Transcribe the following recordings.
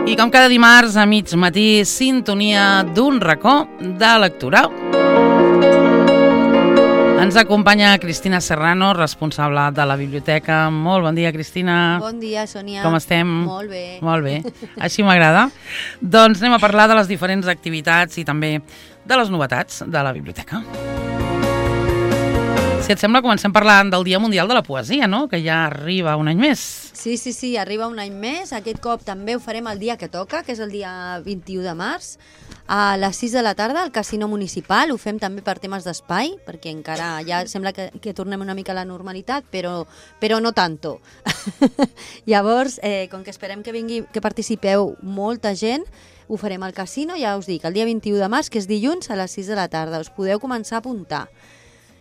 I com cada dimarts a mig matí, sintonia d'un racó de lectura. Ens acompanya Cristina Serrano, responsable de la biblioteca. Molt bon dia, Cristina. Bon dia, Sònia. Com estem? Molt bé. Molt bé, així m'agrada. Doncs anem a parlar de les diferents activitats i també de les novetats de la biblioteca. Si et sembla, comencem parlant del Dia Mundial de la Poesia, no? Que ja arriba un any més. Sí, arriba un any més. Aquest cop també ho farem el dia que toca, que és el dia 21 de març, a les 6 de la tarda al Casino Municipal. Ho fem també per temes d'espai, perquè encara ja sembla que tornem una mica a la normalitat, però no tanto. Llavors, com que esperem que participeu molta gent, ho farem al casino, ja us dic, el dia 21 de març, que és dilluns, a les 6 de la tarda. Us podeu començar a apuntar.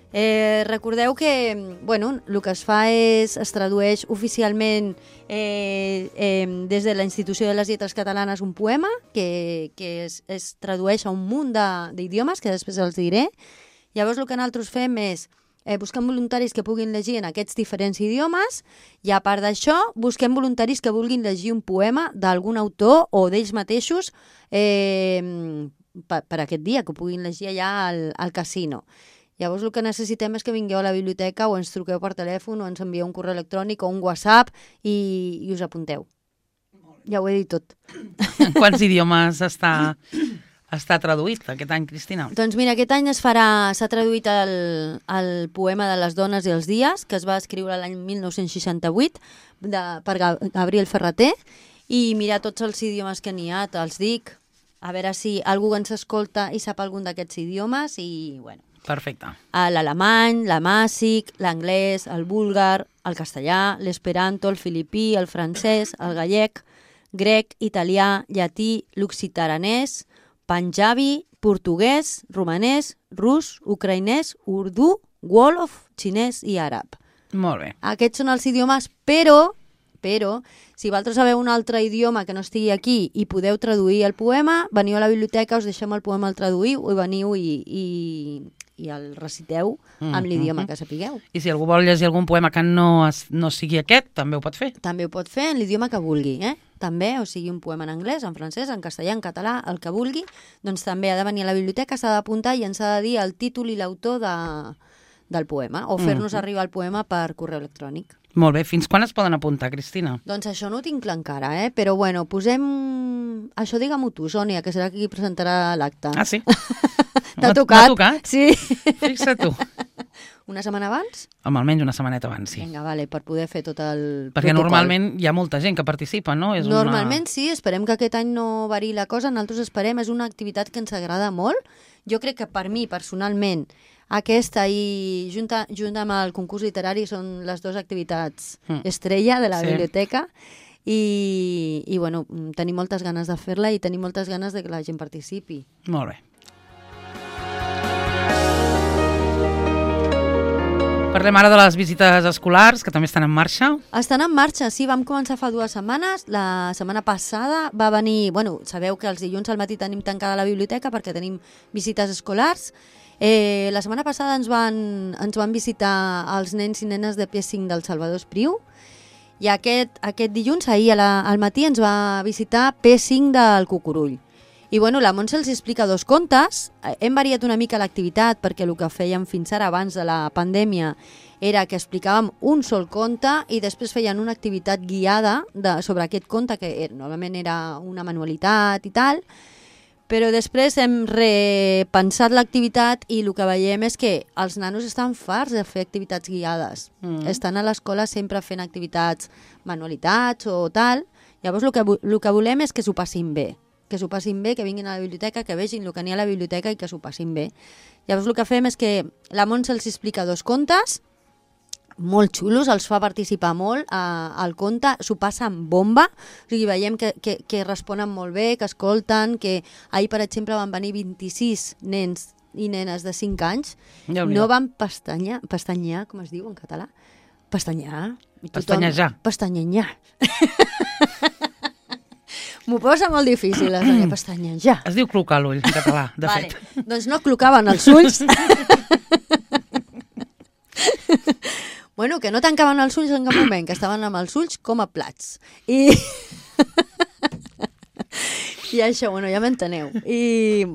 Recordeu que el que es fa es tradueix oficialment des de la Institució de les Lletres Catalanes un poema que es tradueix a un munt d'idiomes, que després els diré. Llavors el que nosaltres fem és busquem voluntaris que puguin llegir en aquests diferents idiomes i a part d'això busquem voluntaris que vulguin llegir un poema d'algun autor o d'ells mateixos per aquest dia, que ho puguin llegir allà al casino. Llavors el que necessitem és que vingueu a la biblioteca o ens truqueu per telèfon o ens envieu un correu electrònic o un WhatsApp i us apunteu. Ja ho he dit tot. En quants idiomes està traduït aquest any, Cristina? Doncs mira, aquest any s'ha traduït el poema de les dones i els dies, que es va escriure l'any 1968 per Gabriel Ferrater, i mira tots els idiomes que n'hi ha, te'ls dic, a veure si algú ens escolta i sap algun d'aquests idiomes i, bueno, perfecte. L'alemany, l'amàsic, l'anglès, el búlgar, el castellà, l'esperanto, el filipí, el francès, el gallec, grec, italià, llatí, l'occitaranès, panjabi, portuguès, romanès, rus, ucraïnès, urdú, wolof, xinès i àrab. Molt bé. Aquests són els idiomes, però si vosaltres sabeu un altre idioma que no estigui aquí i podeu traduir el poema, veniu a la biblioteca, us deixem el poema al traduir i veniu i el reciteu amb l'idioma que sapigueu. I si algú vol llegir algun poema que no sigui aquest, també ho pot fer? També ho pot fer en l'idioma que vulgui, També, o sigui, un poema en anglès, en francès, en castellà, en català, el que vulgui, doncs també ha de venir a la biblioteca, s'ha d'apuntar i ens ha de dir el títol i l'autor del poema, o fer-nos arribar el poema per correu electrònic. Molt bé. Fins quan es poden apuntar, Cristina? Doncs això no ho tinc clar encara, però bueno, posem... Això digue-m'ho tu, Sònia, que serà qui presentarà l'acte. Ah, sí? T'ha tocat? M'ha tocat? Sí. Fixa't tu. Una setmana abans? Home, almenys una setmaneta abans, sí. Vinga, vale, per poder fer tot el Perquè protocol. Normalment hi ha molta gent que participa, no? Normalment sí, esperem que aquest any no variï la cosa, nosaltres esperem, és una activitat que ens agrada molt. Jo crec que per mi, personalment, aquesta i junt amb el concurs literari són les dues activitats estrella de la biblioteca i bueno, tenim moltes ganes de fer-la i tenim moltes ganes de que la gent participi. Molt bé. Parlem ara de les visites escolars, que també estan en marxa. Estan en marxa, sí, vam començar fa 2 setmanes. La setmana passada va venir... sabeu que els dilluns al matí tenim tancada la biblioteca perquè tenim visites escolars. La setmana passada ens van visitar els nens i nenes de P5 del Salvador Espriu i aquest dilluns, ahir al matí, ens va visitar P5 del Cucurull. I la Montse els explica 2 contes. Hem variat una mica l'activitat perquè el que fèiem fins ara abans de la pandèmia era que explicàvem un sol conte i després feien una activitat guiada sobre aquest conte, que normalment era una manualitat i tal, però després hem repensat l'activitat i el que veiem és que els nanos estan farts de fer activitats guiades. Estan a l'escola sempre fent activitats, manualitats o tal. Llavors el que volem és que s'ho passin bé. Que vinguin a la biblioteca, que vegin el que n'hi ha a la biblioteca i que s'ho passin bé. Llavors el que fem és que la Montse els explica 2 contes, molt xulos, els fa participar molt al conte, s'ho passen bomba, o sigui, veiem que responen molt bé, que escolten, que ahir, per exemple, van venir 26 nens i nenes de 5 anys, no van pestanyar, com es diu en català? Pestanyar. Pestanyejar. Pestanyejar. M'ho posa molt difícil, pestanyejar. Es diu clocar l'ull, en català, de fet. Doncs no clocaven els ulls. Bueno, que no tancaven els ulls en cap moment, que estaven amb els ulls com a plats. I I això, bueno, ja m'enteneu. I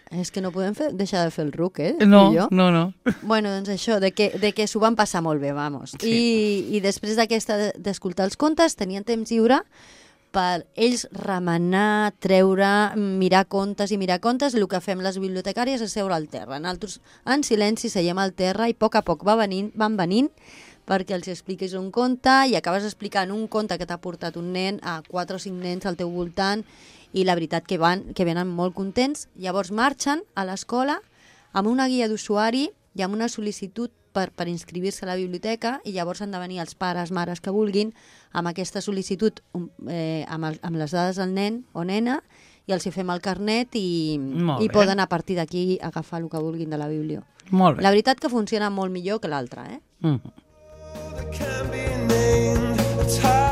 és que no podem deixar de fer el ruc, No. Bueno, doncs això, de que s'ho van passar molt bé, vamos. Sí. I després d'escoltar els contes, tenien temps lliure per ells remenar, treure, mirar contes, el que fem les bibliotecàries és seure al terra. Nosaltres en silenci seiem al terra i a poc van venint perquè els expliquis un conte i acabes explicant un conte que t'ha portat un nen a 4 o 5 nens al teu voltant i la veritat que venen molt contents. Llavors marxen a l'escola amb una guia d'usuari i amb una sol·licitud per inscriure-se a la biblioteca i llavors han de venir els pares, mares que vulguin amb aquesta sol·licitud amb les dades del nen o nena i els hi fem el carnet i poden a partir d'aquí agafar el que vulguin de la biblio. Molt bé. La veritat que funciona molt millor que l'altra,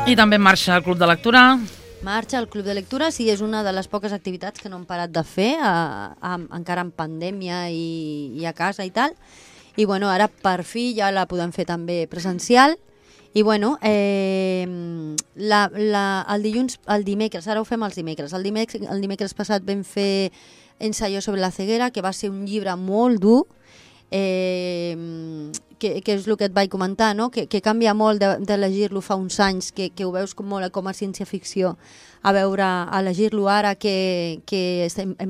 I també en marxa el Club de Lectura. Marxa el Club de Lectura, sí, és una de les poques activitats que no hem parat de fer, encara en pandèmia i a casa i tal. I bueno, ara per fi ja la podem fer també presencial. I bueno, el dimecres, ara ho fem els dimecres. El dimecres passat vam fer Ensayo sobre la ceguera, que va ser un llibre molt dur, que és el que et vaig comentar, no? que canvia molt de llegir-lo fa uns anys, que ho veus com a ciència-ficció, a llegir-lo ara que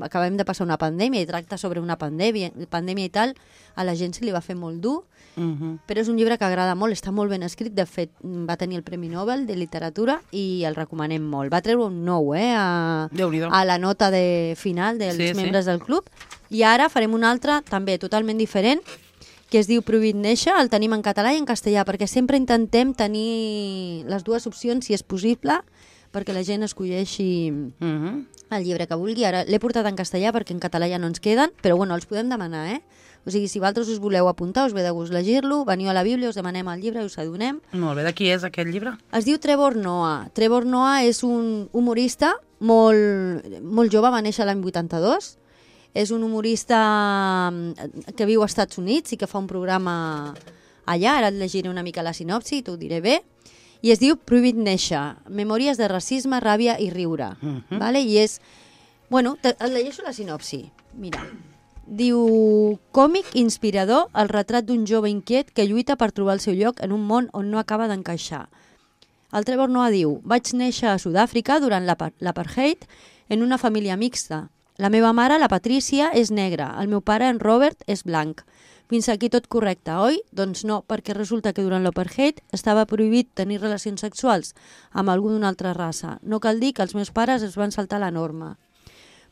acabem de passar una pandèmia i tracta sobre una pandèmia i tal, a la gent se li va fer molt dur, però és un llibre que agrada molt, està molt ben escrit, de fet va tenir el Premi Nobel de Literatura i el recomanem molt. Va treure un 9 a la nota final dels membres del club, i ara farem un altre també totalment diferent, que es diu Prohibit néixer, el tenim en català i en castellà, perquè sempre intentem tenir les dues opcions, si és possible, perquè la gent escolleixi el llibre que vulgui. Ara l'he portat en castellà perquè en català ja no ens queden, però bueno, els podem demanar, O sigui, si vosaltres us voleu apuntar, us ve de gust llegir-lo, veniu a la Bíblia, us demanem el llibre i us adonem. Molt bé, de qui és aquest llibre? Es diu Trevor Noah. Trevor Noah és un humorista molt jove, va néixer l'any 82, és un humorista que viu als Estats Units i que fa un programa allà, ara et llegiré una mica la sinopsi, t'ho diré bé, i es diu Prohibit néixer, memòries de racisme, ràbia i riure. Vale? I és... Bueno, et llegeixo la sinopsi. Mira, diu: còmic inspirador, el retrat d'un jove inquiet que lluita per trobar el seu lloc en un món on no acaba d'encaixar. El Trevor Noah diu: vaig néixer a Sud-àfrica durant l'apartheid en una família mixta. La meva mare, la Patrícia, és negra. El meu pare, en Robert, és blanc. Fins aquí tot correcte, oi? Doncs no, perquè resulta que durant l'apartheid estava prohibit tenir relacions sexuals amb algú d'una altra raça. No cal dir que els meus pares es van saltar la norma.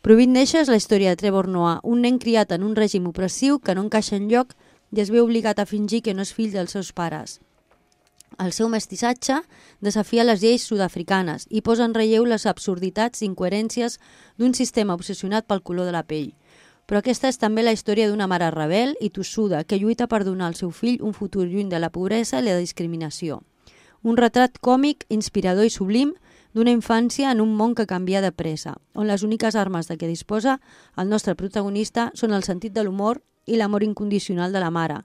Prohibit néixer és la història de Trevor Noah, un nen criat en un règim opressiu que no encaixa enlloc i es veu obligat a fingir que no és fill dels seus pares. El seu mestissatge desafia les lleis sud-africanes i posa en relleu les absurditats i incoherències d'un sistema obsessionat pel color de la pell. Però aquesta és també la història d'una mare rebel i tossuda que lluita per donar al seu fill un futur lluny de la pobresa i la discriminació. Un retrat còmic, inspirador i sublim d'una infància en un món que canvia de pressa, on les úniques armes de què disposa el nostre protagonista són el sentit de l'humor i l'amor incondicional de la mare.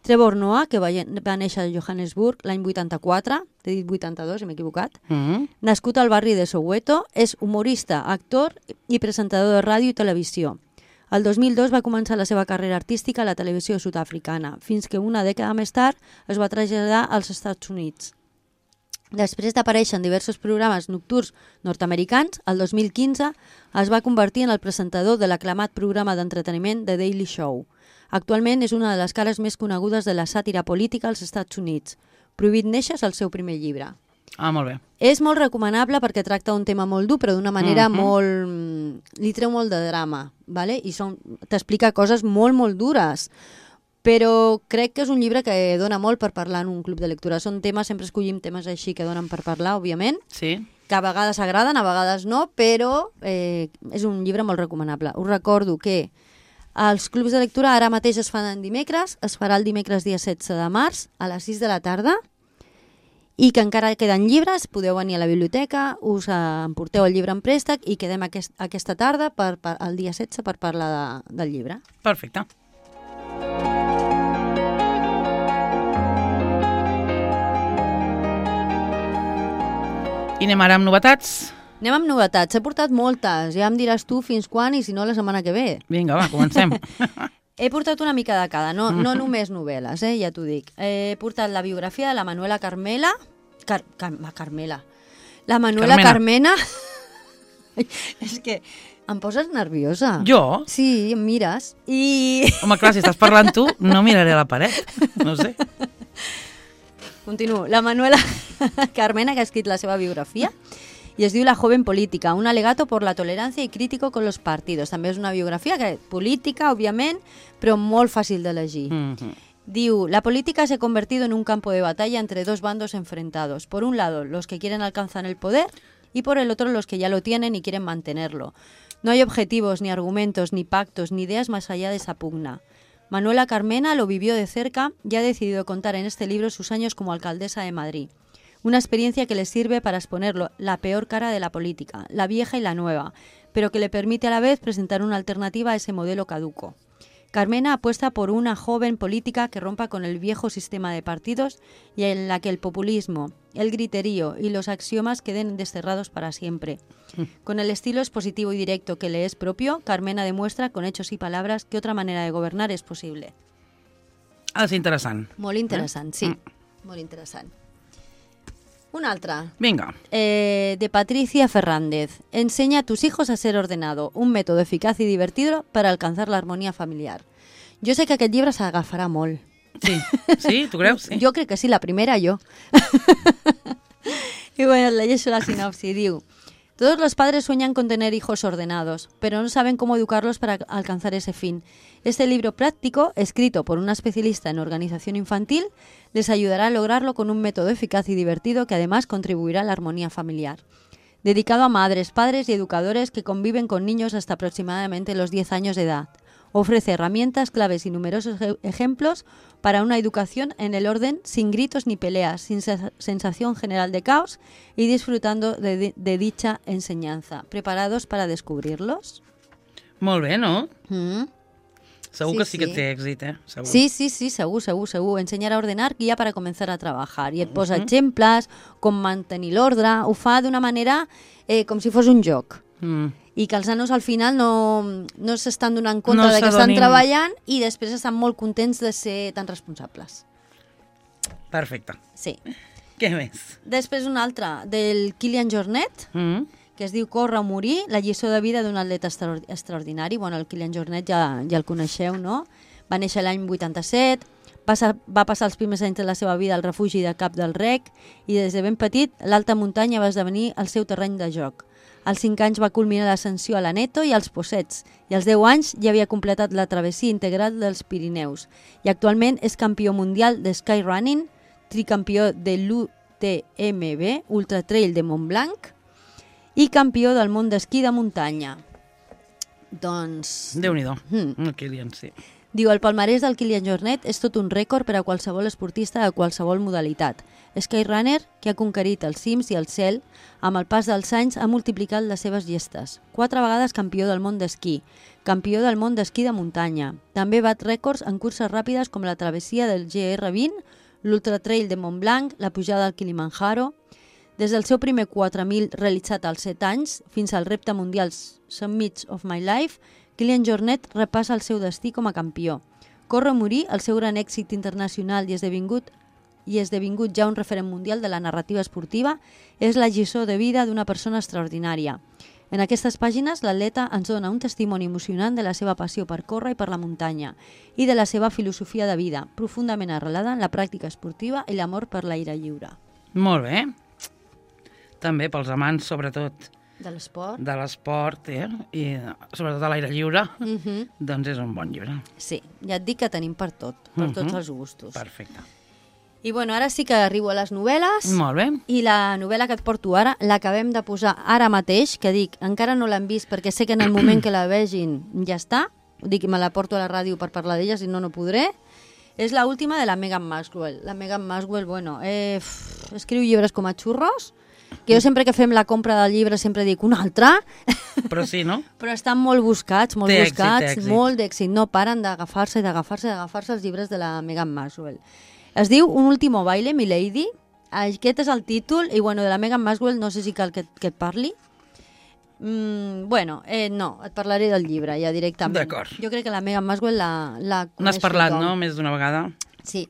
Trevor Noah, que va néixer a Johannesburg l'any 84, t'he dit 82, m'he equivocat, nascut al barri de Soweto, és humorista, actor i presentador de ràdio i televisió. El 2002 va començar la seva carrera artística a la televisió sud-africana, fins que una dècada més tard es va traslladar als Estats Units. Després d'aparèixer en diversos programes nocturns nord-americans, el 2015 es va convertir en el presentador de l'aclamat programa d'entreteniment The Daily Show. Actualment és una de les cares més conegudes de la sàtira política als Estats Units. Prohibit néixer és el seu primer llibre. Molt bé. És molt recomanable perquè tracta un tema molt dur, però d'una manera molt... li treu molt de drama, ¿vale? I t'explica coses molt, molt dures. Però crec que és un llibre que dona molt per parlar en un club de lectura. Són temes, sempre escollim temes així que donen per parlar, òbviament, sí, que a vegades agraden, a vegades no, però és un llibre molt recomanable. Us recordo que els clubs de lectura ara mateix es fan en dimecres, es farà el dimecres dia 16 de març a les 6 de la tarda, i que encara queden llibres, podeu venir a la biblioteca, us emporteu el llibre en préstec i quedem aquesta tarda, el dia 16, per parlar del llibre. Perfecte. I anem ara amb novetats. Anem amb novetats. He portat moltes. Ja em diràs tu fins quan i si no la setmana que ve. Vinga, va, comencem. He portat una mica de cada, no només novel·les, ja t'ho dic. He portat la biografia de la Manuela Carmela. Carmela. La Manuela Carmena. És que em poses nerviosa. Jo? Sí, em mires. Home, clar, si estàs parlant tu, no miraré a la paret. No sé. Continuo. La Manuela Carmena, que ha escrit la seva biografia, i es diu La joven política, un alegato por la tolerancia y crítico con los partidos. També és una biografia política, òbviament, però molt fàcil de llegir. Diu, la política se ha convertido en un campo de batalla entre dos bandos enfrentados. Por un lado, los que quieren alcanzar el poder y por el otro, los que ya lo tienen y quieren mantenerlo. No hay objetivos, ni argumentos, ni pactos, ni ideas más allá de esa pugna. Manuela Carmena lo vivió de cerca y ha decidido contar en este libro sus años como alcaldesa de Madrid. Una experiencia que le sirve para exponer la peor cara de la política, la vieja y la nueva, pero que le permite a la vez presentar una alternativa a ese modelo caduco. Carmena apuesta por una joven política que rompa con el viejo sistema de partidos y en la que el populismo, el griterío y los axiomas queden desterrados para siempre. Con el estilo expositivo y directo que le es propio, Carmena demuestra con hechos y palabras que otra manera de gobernar es posible. És interessant. Molt interessant, sí. Molt interessant. Una altra. Vinga. De Patricia Fernández. Enseña a tus hijos a ser ordenado. Un método eficaz y divertido para alcanzar la armonía familiar. Jo sé que aquest llibre s'agafarà molt. Sí. Sí? Tu creus? Sí. Jo crec que sí, la primera jo. Y bueno, leyes la sinopsis. Diu, todos los padres sueñan con tener hijos ordenados, pero no saben cómo educarlos para alcanzar ese fin. Este libro práctico, escrito por una especialista en organización infantil, les ayudará a lograrlo con un método eficaz y divertido que además contribuirá a la armonía familiar. Dedicado a madres, padres y educadores que conviven con niños hasta aproximadamente los 10 años de edad. Ofrece herramientas, claves y numerosos ejemplos para una educación en el orden sin gritos ni peleas, sin sensación general de caos y disfrutando de dicha enseñanza. ¿Preparados para descubrirlos? Molt bé, no? Segur que sí que té èxit, Segur. Sí, segur. Ensenyar a ordenar guia para comenzar a trabajar. I et posa exemples, com mantenir l'ordre, ho fa d'una manera com si fos un joc. I que els nanos al final no s'estan donant compte de que estan treballant i després estan molt contents de ser tan responsables. Perfecte. Sí. Què més? Després una altra, del Kilian Jornet, que es diu Córrer o morir, la lliçó de vida d'un atleta extraordinari. Bueno, el Kilian Jornet ja el coneixeu, no? Va néixer l'any 87, va passar els primers anys de la seva vida al refugi de Cap del Rec i des de ben petit l'alta muntanya va esdevenir el seu terreny de joc. Als 5 anys va culminar l'ascensió a l'Aneto i als Possets, i als 10 anys ja havia completat la travessia integral dels Pirineus. I actualment és campió mundial de skyrunning, tricampió de l'UTMB, Ultra Trail de Montblanc, i campió del món d'esquí de muntanya. Doncs... Déu-n'hi-do, el Kilian, sí. Diu, el palmarès del Kilian Jornet és tot un rècord per a qualsevol esportista de qualsevol modalitat. Skyrunner, que ha conquerit els cims i el cel, amb el pas dels anys ha multiplicat les seves gestes. 4 vegades campió del món d'esquí, campió del món d'esquí de muntanya. També bat rècords en curses ràpides com la travessia del GR20, l'Ultra Trail de Montblanc, la pujada al Kilimanjaro. Des del seu primer 4.000 realitzat als 7 anys fins al repte mundial Summits of My Life, Kilian Jornet repassa el seu destí com a campió. Córrer o morir, el seu gran èxit internacional i esdevingut ja un referent mundial de la narrativa esportiva, és la lliçó de vida d'una persona extraordinària. En aquestes pàgines, l'atleta ens dona un testimoni emocionant de la seva passió per córrer i per la muntanya i de la seva filosofia de vida, profundament arrelada en la pràctica esportiva i l'amor per l'aire lliure. Molt bé. També pels amants, sobretot, de l'esport. De l'esport, i sobretot a l'aire lliure, doncs és un bon llibre. Sí, ja et dic que tenim per tot, per tots els gustos. Perfecte. I bueno, ara sí que arribo a les novel·les. Molt bé. I la novel·la que et porto ara l'acabem de posar ara mateix, que dic, encara no l'han vist perquè sé que en el moment que la vegin ja està. Dic, me la porto a la ràdio per parlar d'ella, si no, no podré. És l'última de la Meghan Maxwell. La Meghan Maxwell, bueno, escriu llibres com a xurros, que jo sempre que fem la compra del llibre sempre dic un altre. Però sí, no? Però estan molt buscats, té èxit. molt d'èxit. No paren d'agafar-se els llibres de la Meghan Maxwell. Es diu Un último baile, milady. Aquest és el títol, i bueno, de la Meghan Maxwell no sé si cal que et parli. Bueno, no, et parlaré del llibre ja directament. D'acord. Jo crec que la Megan Maswell la coneix N'has parlat, tothom. no?, més d'una vegada. Sí.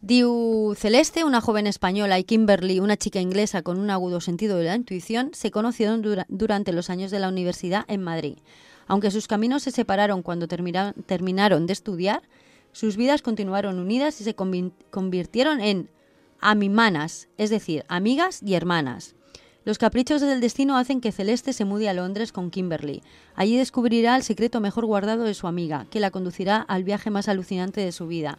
Diu, Celeste, una joven española, y Kimberly, una chica inglesa con un agudo sentido de la intuición, se conocieron durante los años de la universidad en Madrid. Aunque sus caminos se separaron cuando terminaron de estudiar, sus vidas continuaron unidas y se convirtieron en amimanas, es decir, amigas y hermanas. Los caprichos del destino hacen que Celeste se mude a Londres con Kimberly. Allí descubrirá el secreto mejor guardado de su amiga, que la conducirá al viaje más alucinante de su vida.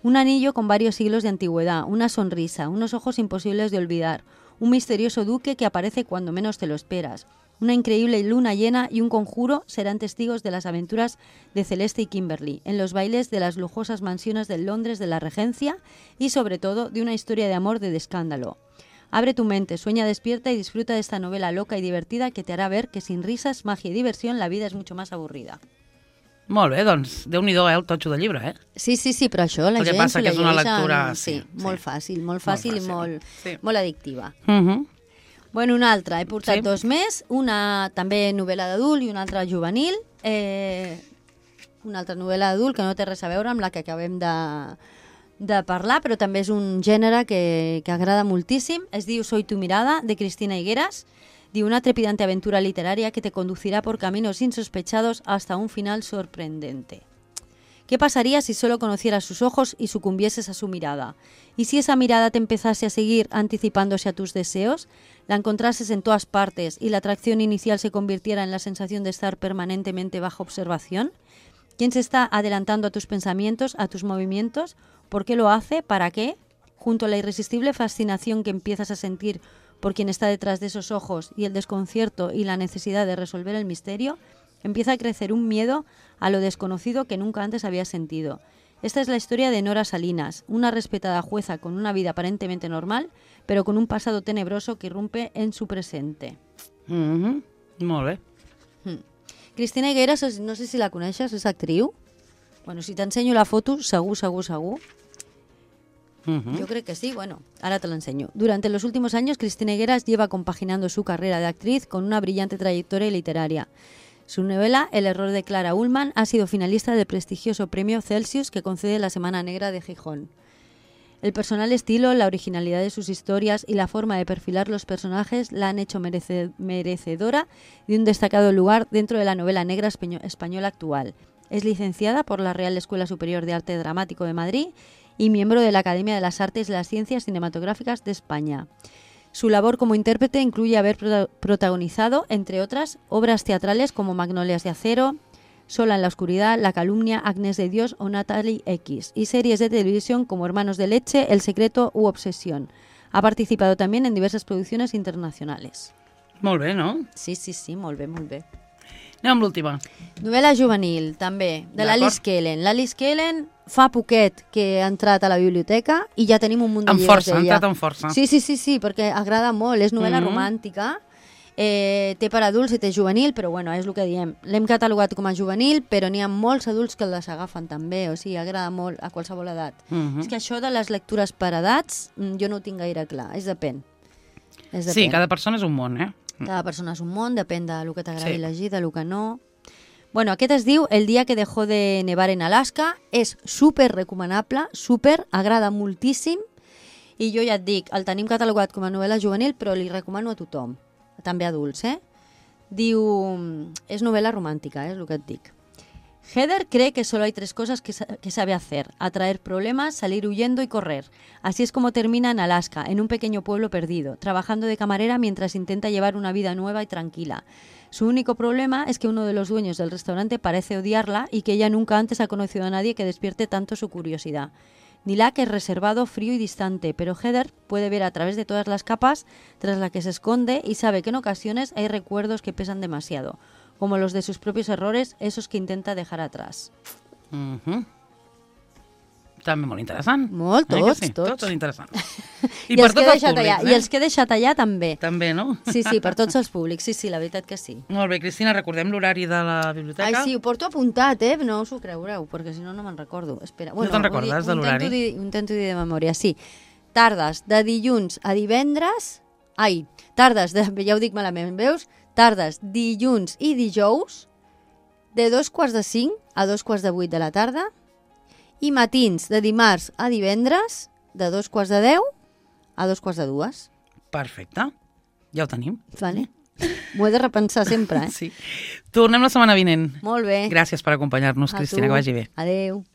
Un anillo con varios siglos de antigüedad, una sonrisa, unos ojos imposibles de olvidar, un misterioso duque que aparece cuando menos te lo esperas. Una increíble luna llena y un conjuro serán testigos de las aventuras de Celeste y Kimberly, en los bailes de las lujosas mansiones de Londres de la Regencia y, sobre todo, de una historia de amor de escándalo. Abre tu mente, sueña despierta y disfruta de esta novela loca y divertida que te hará ver que sin risas, magia y diversión la vida és mucho más avorrida. Molt bé, doncs, Déu-n'hi-do, el totxo del llibre, Sí, però això la El que gent passa s'ho que és una llegeix lectura, sí, sí. molt fàcil i molt addictiva. Uh-huh. Bueno, una altra, he portat Sí. dos més, una també novel·la d'adult i una altra juvenil. Una altra novel·la d'adult que no té res a veure amb la que acabem de parlar, però també és un gènere que agrada moltíssim. Es diu Soy tu mirada, de Cristina Higueras. Diu, una trepidante aventura literaria que te conducirá por caminos insospechados hasta un final sorprendente. ¿Qué pasaría si solo conocieras sus ojos y sucumbieses a su mirada? ¿Y si esa mirada te empezase a seguir anticipándose a tus deseos? ¿La encontrases en todas partes y la atracción inicial se convirtiera en la sensación de estar permanentemente bajo observación? ¿Quién se está adelantando a tus pensamientos, a tus movimientos? ¿Por qué lo hace? ¿Para qué? Junto a la irresistible fascinación que empiezas a sentir por quien está detrás de esos ojos y el desconcierto y la necesidad de resolver el misterio, empieza a crecer un miedo a lo desconocido que nunca antes habías sentido. Esta es la historia de Nora Salinas, una respetada jueza con una vida aparentemente normal, pero con un pasado tenebroso que irrumpe en su presente. Uh-huh. Molt bé. Cristina Higueras, no sé si la coneixes, és actriu. Bueno, si t'ensenyo la foto, segur. Uh-huh. Yo creo que sí, bueno, ahora te lo enseño. Durante los últimos años, Cristina Higueras lleva compaginando su carrera de actriz con una brillante trayectoria literaria. Su novela, El error de Clara Ullman, ha sido finalista del prestigioso premio Celsius que concede la Semana Negra de Gijón. El personal estilo, la originalidad de sus historias y la forma de perfilar los personajes la han hecho merecedora de un destacado lugar dentro de la novela negra española actual. Es licenciada por la Real Escuela Superior de Arte Dramático de Madrid y miembro de la Academia de las Artes y las Ciencias Cinematográficas de España. Su labor como intérprete incluye haber protagonizado, entre otras, obras teatrales como Magnolias de Acero, Sola en la Oscuridad, La Calumnia, Agnes de Dios o Natalie X, y series de televisión como Hermanos de Leche, El Secreto u Obsesión. Ha participado también en diversas producciones internacionales. Molt bé, no? Sí, molt bé. Anem amb l'última. Novel·la juvenil, també, de l'Alice Kellen. L'Alice Kellen fa poquet que ha entrat a la biblioteca i ja tenim un munt de llibres d'ella. Ha entrat amb força. Sí, perquè agrada molt, és novel·la romàntica, té per adults i té juvenil, però bueno, és el que diem. L'hem catalogat com a juvenil, però n'hi ha molts adults que les agafen també, o sigui, agrada molt a qualsevol edat. És que això de les lectures per edats, jo no ho tinc gaire clar, depèn. Sí, cada persona és un món, Cada persona és un món, depèn del que t'agradi llegir, del que no. Bueno, aquest es diu El día que dejó de nevar en Alaska, és super recomanable, agrada moltíssim, i jo ja et dic, el tenim catalogat com a novel·la juvenil, però li recomano a tothom, també adults, Diu, és novel·la romàntica, és el que et dic. Heather cree que solo hay tres cosas que sabe hacer: atraer problemas, salir huyendo y correr. Así es como termina en Alaska, en un pequeño pueblo perdido, trabajando de camarera mientras intenta llevar una vida nueva y tranquila. Su único problema es que uno de los dueños del restaurante parece odiarla y que ella nunca antes ha conocido a nadie que despierte tanto su curiosidad. Nilak es reservado, frío y distante, pero Heather puede ver a través de todas las capas tras las que se esconde y sabe que en ocasiones hay recuerdos que pesan demasiado, como los de sus propios errores, esos que intenta dejar atrás. També molt interessant. Molt, tots. Tots són interessants. I per tots els públics. I els que he deixat allà també. També, no? Sí, per tots els públics. Sí, la veritat que sí. Molt bé, Cristina, recordem l'horari de la biblioteca. Ai, sí, ho porto apuntat, no us ho creureu, perquè si no, no me'n recordo. Espera. No te'n recordes de l'horari? Intento dir de memòria, sí. Tardes de dilluns a divendres... Ai, tardes de... Ja ho dic malament, veus? Tardes, dilluns i dijous, de 2:45 a 2:45 de la tarda, i matins de dimarts a divendres, de 2:10 a 2:45. Perfecte. Ja ho tenim. Vale. M'ho he de repensar sempre, Sí. Tornem la setmana vinent. Molt bé. Gràcies per acompanyar-nos, A Cristina, tu. que vagi bé. Adéu.